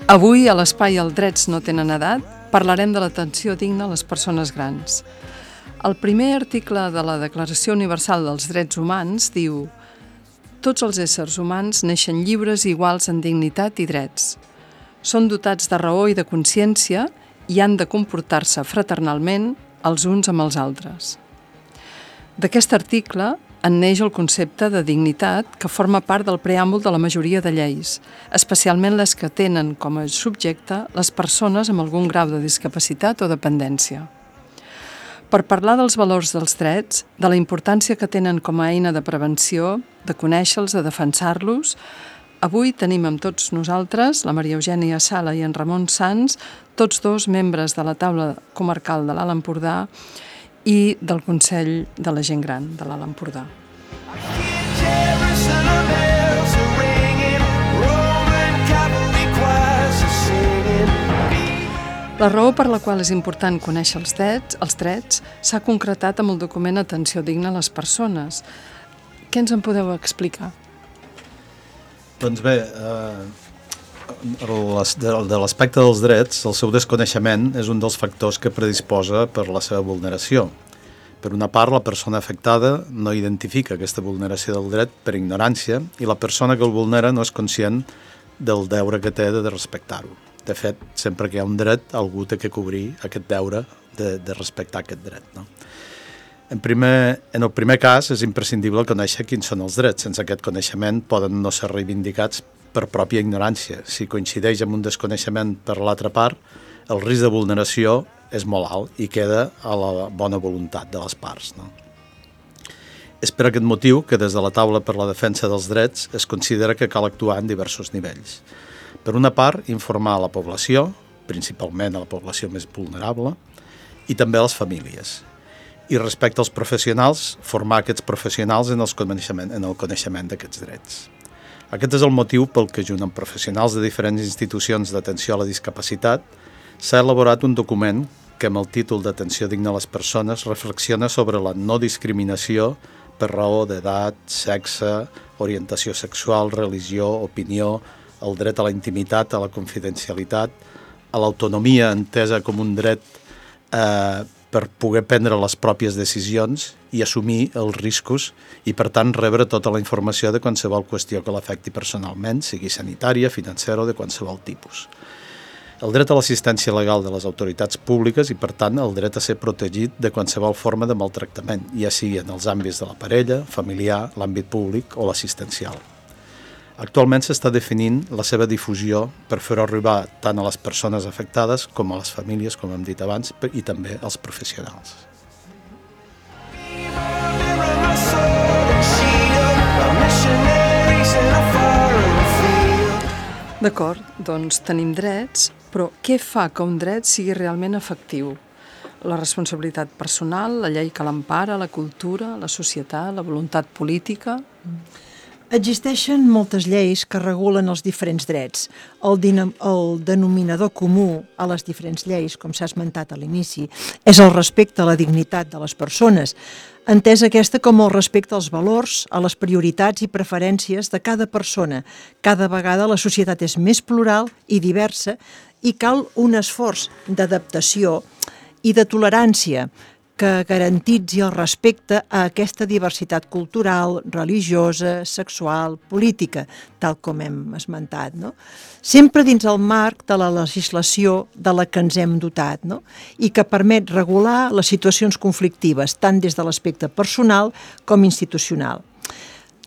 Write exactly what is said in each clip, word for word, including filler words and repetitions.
Avui, a l'espai Els drets no tenen edat, parlarem de l'atenció digna a les persones grans. El primer article de la Declaració Universal dels Drets Humans diu: tots els éssers humans neixen lliures i iguals en dignitat i drets. Són dotats de raó i de consciència i han de comportar-se fraternalment els uns amb els altres. D'aquest article en neix el concepte de dignitat que forma part del preàmbul de la majoria de lleis, especialment les que tenen com a subjecte les persones amb algun grau de discapacitat o dependència. Per parlar dels valors dels drets, de la importància que tenen com a eina de prevenció, de conèixer-los, de defensar-los, avui tenim amb tots nosaltres la Maria Eugènia Sala i en Ramon Sans, tots dos membres de la taula comarcal de l'Alt Empordà i del Consell de la Gent Gran de l'Alt Empordà. La raó per la qual és important conèixer els drets, els drets s'ha concretat amb el document Atenció digna a les persones. Què ens en podeu explicar? Doncs bé, eh, de l'aspecte dels drets, el seu desconeixement és un dels factors que predisposa per la seva vulneració. Per una part, la persona afectada no identifica aquesta vulneració del dret per ignorància i la persona que el vulnera no és conscient del deure que té de respectar-ho. De fet, sempre que hi ha un dret, algú té que cobrir aquest deure de, de respectar aquest dret. No? En, primer, en el primer cas, és imprescindible conèixer quins són els drets. Sense aquest coneixement poden no ser reivindicats per pròpia ignorància. Si coincideix amb un desconeixement per l'altra part, el risc de vulneració és molt alt i queda a la bona voluntat de les parts. No? És per aquest motiu que des de la taula per la defensa dels drets es considera que cal actuar en diversos nivells. Per una part, informar a la població, principalment a la població més vulnerable, i també a les famílies. I respecte als professionals, formar aquests professionals en, els coneixement, en el coneixement d'aquests drets. Aquest és el motiu pel que, junt amb professionals de diferents institucions d'atenció a la discapacitat, s'ha elaborat un document que, amb el títol d'Atenció digna a les persones, reflexiona sobre la no discriminació per raó d'edat, sexe, orientació sexual, religió, opinió, el dret a la intimitat, a la confidencialitat, a l'autonomia entesa com un dret eh, per poder prendre les pròpies decisions i assumir els riscos i, per tant, rebre tota la informació de qualsevol qüestió que l'afecti personalment, sigui sanitària, financera o de qualsevol tipus. El dret a l'assistència legal de les autoritats públiques i, per tant, el dret a ser protegit de qualsevol forma de maltractament, ja sigui en els àmbits de la parella, familiar, l'àmbit públic o l'assistencial. Actualment s'està definint la seva difusió per fer-ho arribar tant a les persones afectades com a les famílies, com hem dit abans, i també als professionals. D'acord, doncs tenim drets, però què fa que un dret sigui realment efectiu? La responsabilitat personal, la llei que l'empara, la cultura, la societat, la voluntat política... Existeixen moltes lleis que regulen els diferents drets. El, dinam- el denominador comú a les diferents lleis, com s'ha esmentat a l'inici, és el respecte a la dignitat de les persones, entesa aquesta com el respecte als valors, a les prioritats i preferències de cada persona. Cada vegada la societat és més plural i diversa i cal un esforç d'adaptació i de tolerància que garantitzi el respecte a aquesta diversitat cultural, religiosa, sexual, política, tal com hem esmentat, no? Sempre dins el marc de la legislació de la que ens hem dotat, no? I que permet regular les situacions conflictives, tant des de l'aspecte personal com institucional.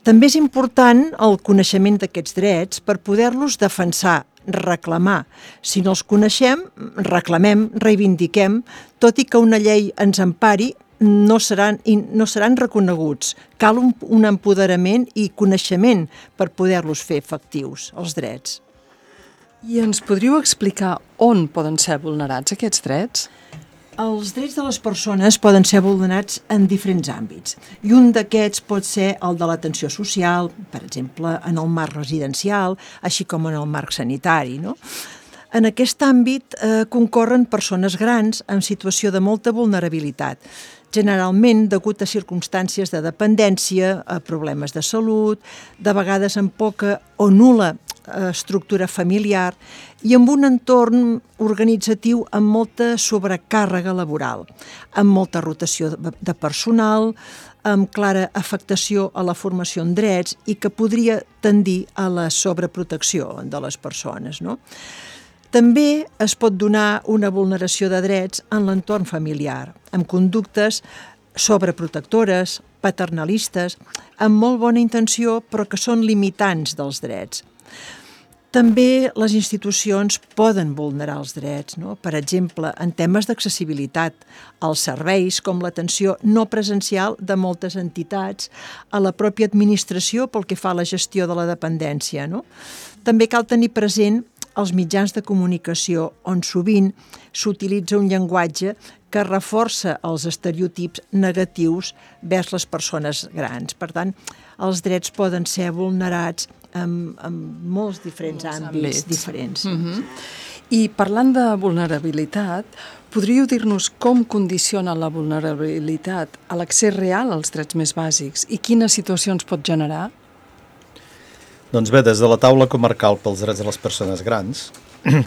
També és important el coneixement d'aquests drets per poder-los defensar, reclamar. Si no els coneixem, reclamem, reivindiquem, tot i que una llei ens empari, no seran, no seran reconeguts. Cal un, un empoderament i coneixement per poder-los fer efectius, els drets. I ens podríeu explicar on poden ser vulnerats aquests drets? Els drets de les persones poden ser vulnerats en diferents àmbits i un d'aquests pot ser el de l'atenció social, per exemple, en el marc residencial, així com en el marc sanitari, no? En aquest àmbit eh, concorren persones grans en situació de molta vulnerabilitat, generalment degut a circumstàncies de dependència, a problemes de salut, de vegades amb poca o nul·la estructura familiar i amb un entorn organitzatiu amb molta sobrecàrrega laboral, amb molta rotació de personal, amb clara afectació a la formació en drets i que podria tendir a la sobreprotecció de les persones, no? També es pot donar una vulneració de drets en l'entorn familiar, amb conductes sobreprotectores, paternalistes, amb molt bona intenció però que són limitants dels drets. També les institucions poden vulnerar els drets, no? Per exemple, en temes d'accessibilitat als serveis com l'atenció no presencial de moltes entitats, a la pròpia administració pel que fa a la gestió de la dependència, no? També cal tenir present els mitjans de comunicació on sovint s'utilitza un llenguatge que reforça els estereotips negatius vers les persones grans. Per tant, els drets poden ser vulnerats en, en molts diferents molts àmbits, àmbits diferents. Uh-huh. I parlant de vulnerabilitat, podríeu dir-nos com condiciona la vulnerabilitat a l'accés real als drets més bàsics i quines situacions pot generar? Doncs bé, des de la taula comarcal pels drets de les persones grans,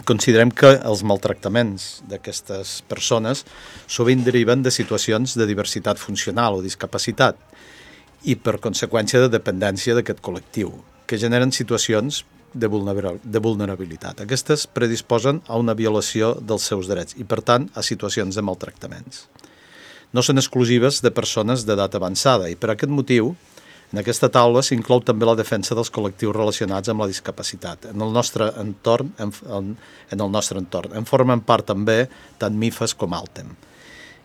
considerem que els maltractaments d'aquestes persones sovint deriven de situacions de diversitat funcional o discapacitat i, per conseqüència, de dependència d'aquest col·lectiu, que generen situacions de vulnerabilitat. Aquestes predisposen a una violació dels seus drets i, per tant, a situacions de maltractaments. No són exclusives de persones d'edat avançada i, per aquest motiu, en aquesta taula s'inclou també la defensa dels col·lectius relacionats amb la discapacitat. En el nostre entorn, en, en, en el nostre entorn, en formen part també tant MIFAS com ALTEM.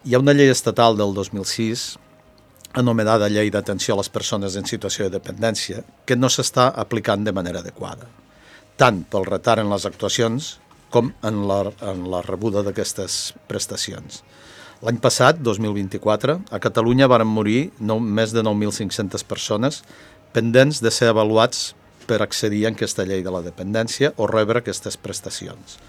Hi ha una llei estatal del dos mil sis, anomenada Llei d'Atenció a les Persones en Situació de Dependència, que no s'està aplicant de manera adequada, tant pel retard en les actuacions com en la, en la rebuda d'aquestes prestacions. L'any passat, dos mil vint-i-quatre, a Catalunya varen morir nou, més de nou mil cinc-centes persones pendents de ser avaluats per accedir a aquesta llei de la dependència o rebre aquestes prestacions.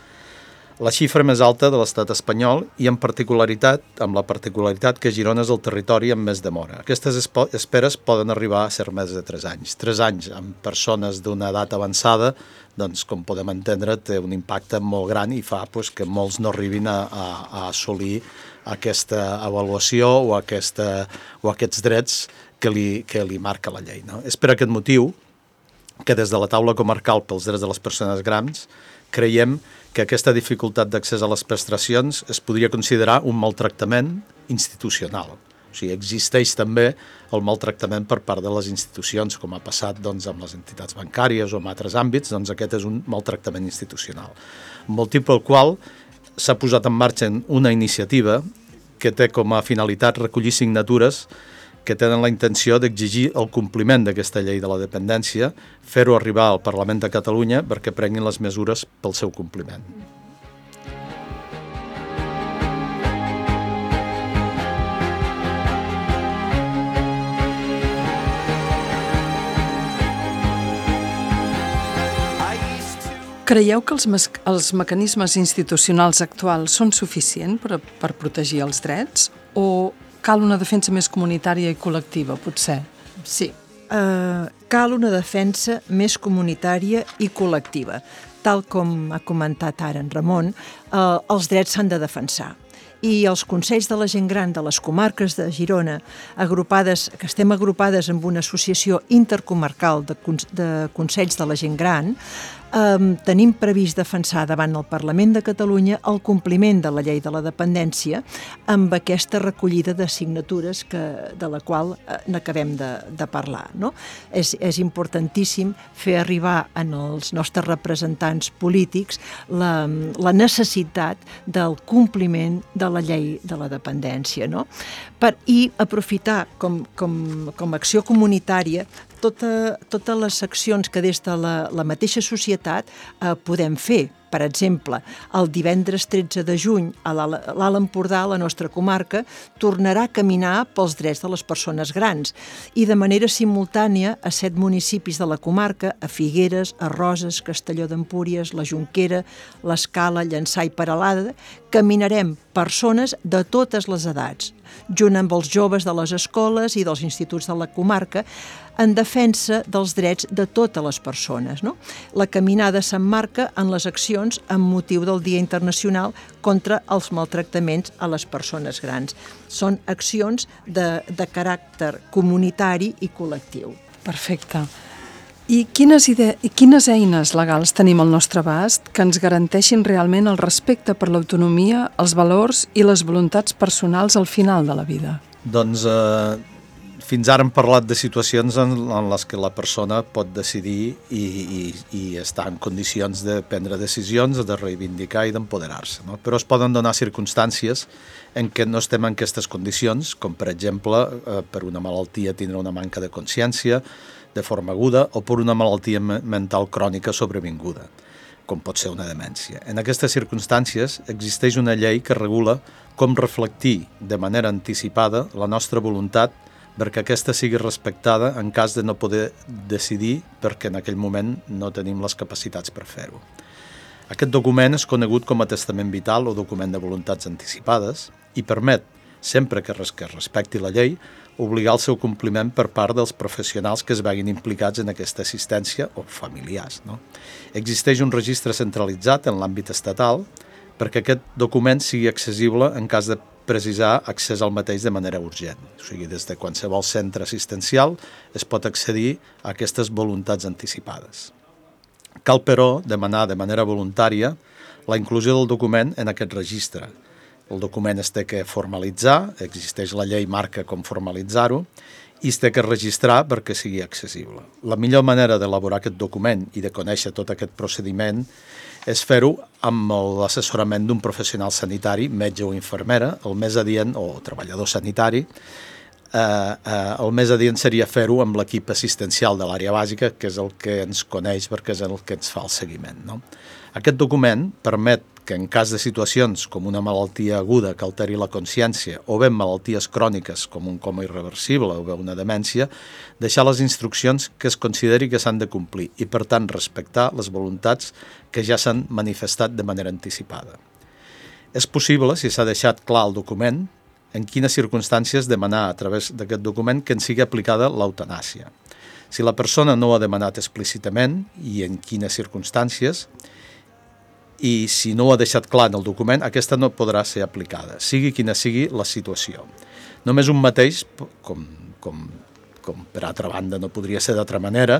La xifra més alta de l'estat espanyol i en particularitat, amb la particularitat que Girona és el territori amb més demora. Aquestes esperes poden arribar a ser més de tres anys. Tres anys amb persones d'una edat avançada, doncs, com podem entendre, té un impacte molt gran i fa pues, que molts no arribin a, a, a assolir aquesta avaluació o, aquesta, o aquests drets que li, que li marca la llei. No? És per aquest motiu que des de la taula comarcal pels drets de les persones grans creiem que aquesta dificultat d'accés a les prestacions es podria considerar un maltractament institucional. O sigui, existeix també el maltractament per part de les institucions, com ha passat doncs, amb les entitats bancàries o en altres àmbits, doncs aquest és un maltractament institucional. Motiu pel qual s'ha posat en marxa una iniciativa que té com a finalitat recollir signatures que tenen la intenció d'exigir el compliment d'aquesta llei de la dependència, fer-ho arribar al Parlament de Catalunya perquè prenguin les mesures pel seu compliment. Creieu que els, els mecanismes institucionals actuals són suficients per, per protegir els drets o cal una defensa més comunitària i col·lectiva, potser? Sí, uh, cal una defensa més comunitària i col·lectiva. Tal com ha comentat ara en Ramon, uh, els drets s'han de defensar. I els Consells de la Gent Gran de les comarques de Girona, agrupades, que estem agrupades amb una associació intercomarcal de, de Consells de la Gent Gran, Um, tenim previst defensar davant el Parlament de Catalunya el compliment de la llei de la dependència amb aquesta recollida de signatures que, de la qual eh, n'acabem de, de parlar. No? És, és importantíssim fer arribar en els nostres representants polítics la, la necessitat del compliment de la llei de la dependència. No? Per, I aprofitar com, com, com a acció comunitària Tota, totes les accions que des de la, la mateixa societat eh, podem fer Per exemple, el divendres tretze de juny a l'Alt Empordà, la nostra comarca, tornarà a caminar pels drets de les persones grans i de manera simultània a set municipis de la comarca, a Figueres, a Roses, Castelló d'Empúries, la Jonquera, l'Escala, Llançà i Peralada, caminarem persones de totes les edats, junt amb els joves de les escoles i dels instituts de la comarca, en defensa dels drets de totes les persones. No? La caminada s'emmarca en les accions amb motiu del Dia Internacional contra els maltractaments a les persones grans. Són accions de, de caràcter comunitari i col·lectiu. Perfecte. I quines, ide... I quines eines legals tenim al nostre abast que ens garanteixin realment el respecte per l'autonomia, els valors i les voluntats personals al final de la vida? Doncs eh, fins ara hem parlat de situacions en, en les que la persona pot decidir i, i, i estar en condicions de prendre decisions, de reivindicar i d'empoderar-se. No? Però es poden donar circumstàncies en què no estem en aquestes condicions, com per exemple eh, per una malaltia tindre una manca de consciència, de forma aguda o per una malaltia mental crònica sobrevinguda, com pot ser una demència. En aquestes circumstàncies existeix una llei que regula com reflectir de manera anticipada la nostra voluntat perquè aquesta sigui respectada en cas de no poder decidir perquè en aquell moment no tenim les capacitats per fer-ho. Aquest document és conegut com a testament vital o document de voluntats anticipades i permet, sempre que es respecti la llei, obligar el seu compliment per part dels professionals que es veguin implicats en aquesta assistència o familiars. No? Existeix un registre centralitzat en l'àmbit estatal perquè aquest document sigui accessible en cas de precisar accés al mateix de manera urgent. O sigui, des de qualsevol centre assistencial es pot accedir a aquestes voluntats anticipades. Cal, però, demanar de manera voluntària la inclusió del document en aquest registre. El document es té que formalitzar, existeix la llei marca com formalitzar-ho, i es té que registrar perquè sigui accessible. La millor manera d'elaborar aquest document i de conèixer tot aquest procediment és fer-ho amb l'assessorament d'un professional sanitari, metge o infermera, el més adient, o treballador sanitari. Eh, eh, el més adient seria fer-ho amb l'equip assistencial de l'àrea bàsica, que és el que ens coneix perquè és el que ens fa el seguiment. No? Aquest document permet que en cas de situacions com una malaltia aguda que alteri la consciència o bé malalties cròniques com un coma irreversible o bé una demència, deixar les instruccions que es consideri que s'han de complir i, per tant, respectar les voluntats que ja s'han manifestat de manera anticipada. És possible, si s'ha deixat clar el document, en quines circumstàncies demanar a través d'aquest document que en sigui aplicada l'eutanàsia. Si la persona no ho ha demanat explícitament i en quines circumstàncies, i si no ho ha deixat clar en el document, aquesta no podrà ser aplicada, sigui quina sigui la situació. Només un mateix, com, com, com per altra banda no podria ser d'altra manera,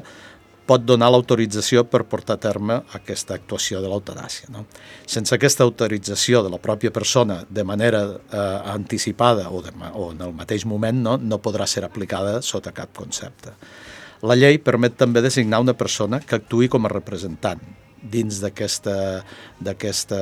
pot donar l'autorització per portar a terme aquesta actuació de l'eutanàsia. No? Sense aquesta autorització de la pròpia persona de manera eh, anticipada o, de, o en el mateix moment no, no podrà ser aplicada sota cap concepte. La llei permet també designar una persona que actuï com a representant. Dins d'aquest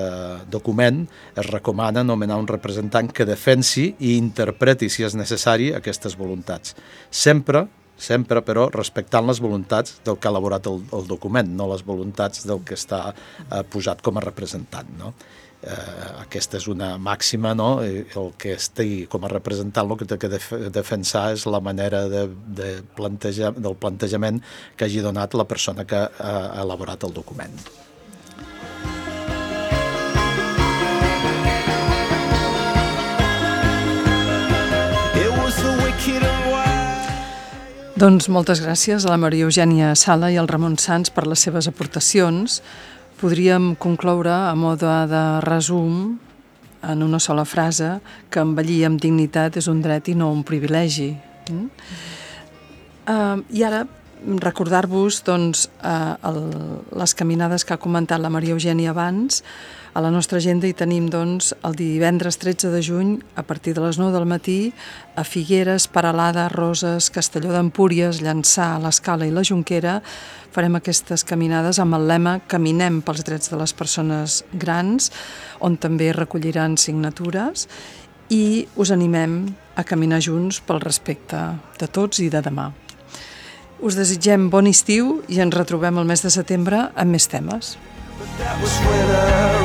document es recomana nomenar un representant que defensi i interpreti, si és necessari, aquestes voluntats. Sempre, sempre però, respectant les voluntats del que ha elaborat el, el document, no les voluntats del que està eh, posat com a representant. No? Eh, aquesta és una màxima, no? El que estigui com a representant el que té que def defensar és la manera de, de plantejar, del plantejament que hagi donat la persona que ha elaborat el document. Doncs moltes gràcies a la Maria Eugènia Sala i al Ramon Sans per les seves aportacions. Podríem concloure a mode de resum en una sola frase que envellir amb dignitat és un dret i no un privilegi. Mm? Uh, I ara recordar-vos doncs, uh, el, les caminades que ha comentat la Maria Eugènia abans. A la nostra agenda hi tenim doncs, el divendres tretze de juny a partir de les nou del matí a Figueres, Peralada, Roses, Castelló d'Empúries, Llançà, l'Escala i la Jonquera. Farem aquestes caminades amb el lema Caminem pels drets de les persones grans, on també recolliran signatures i us animem a caminar junts pel respecte de tots i de demà. Us desitgem bon estiu i ens retrobem el mes de setembre amb més temes. that was when I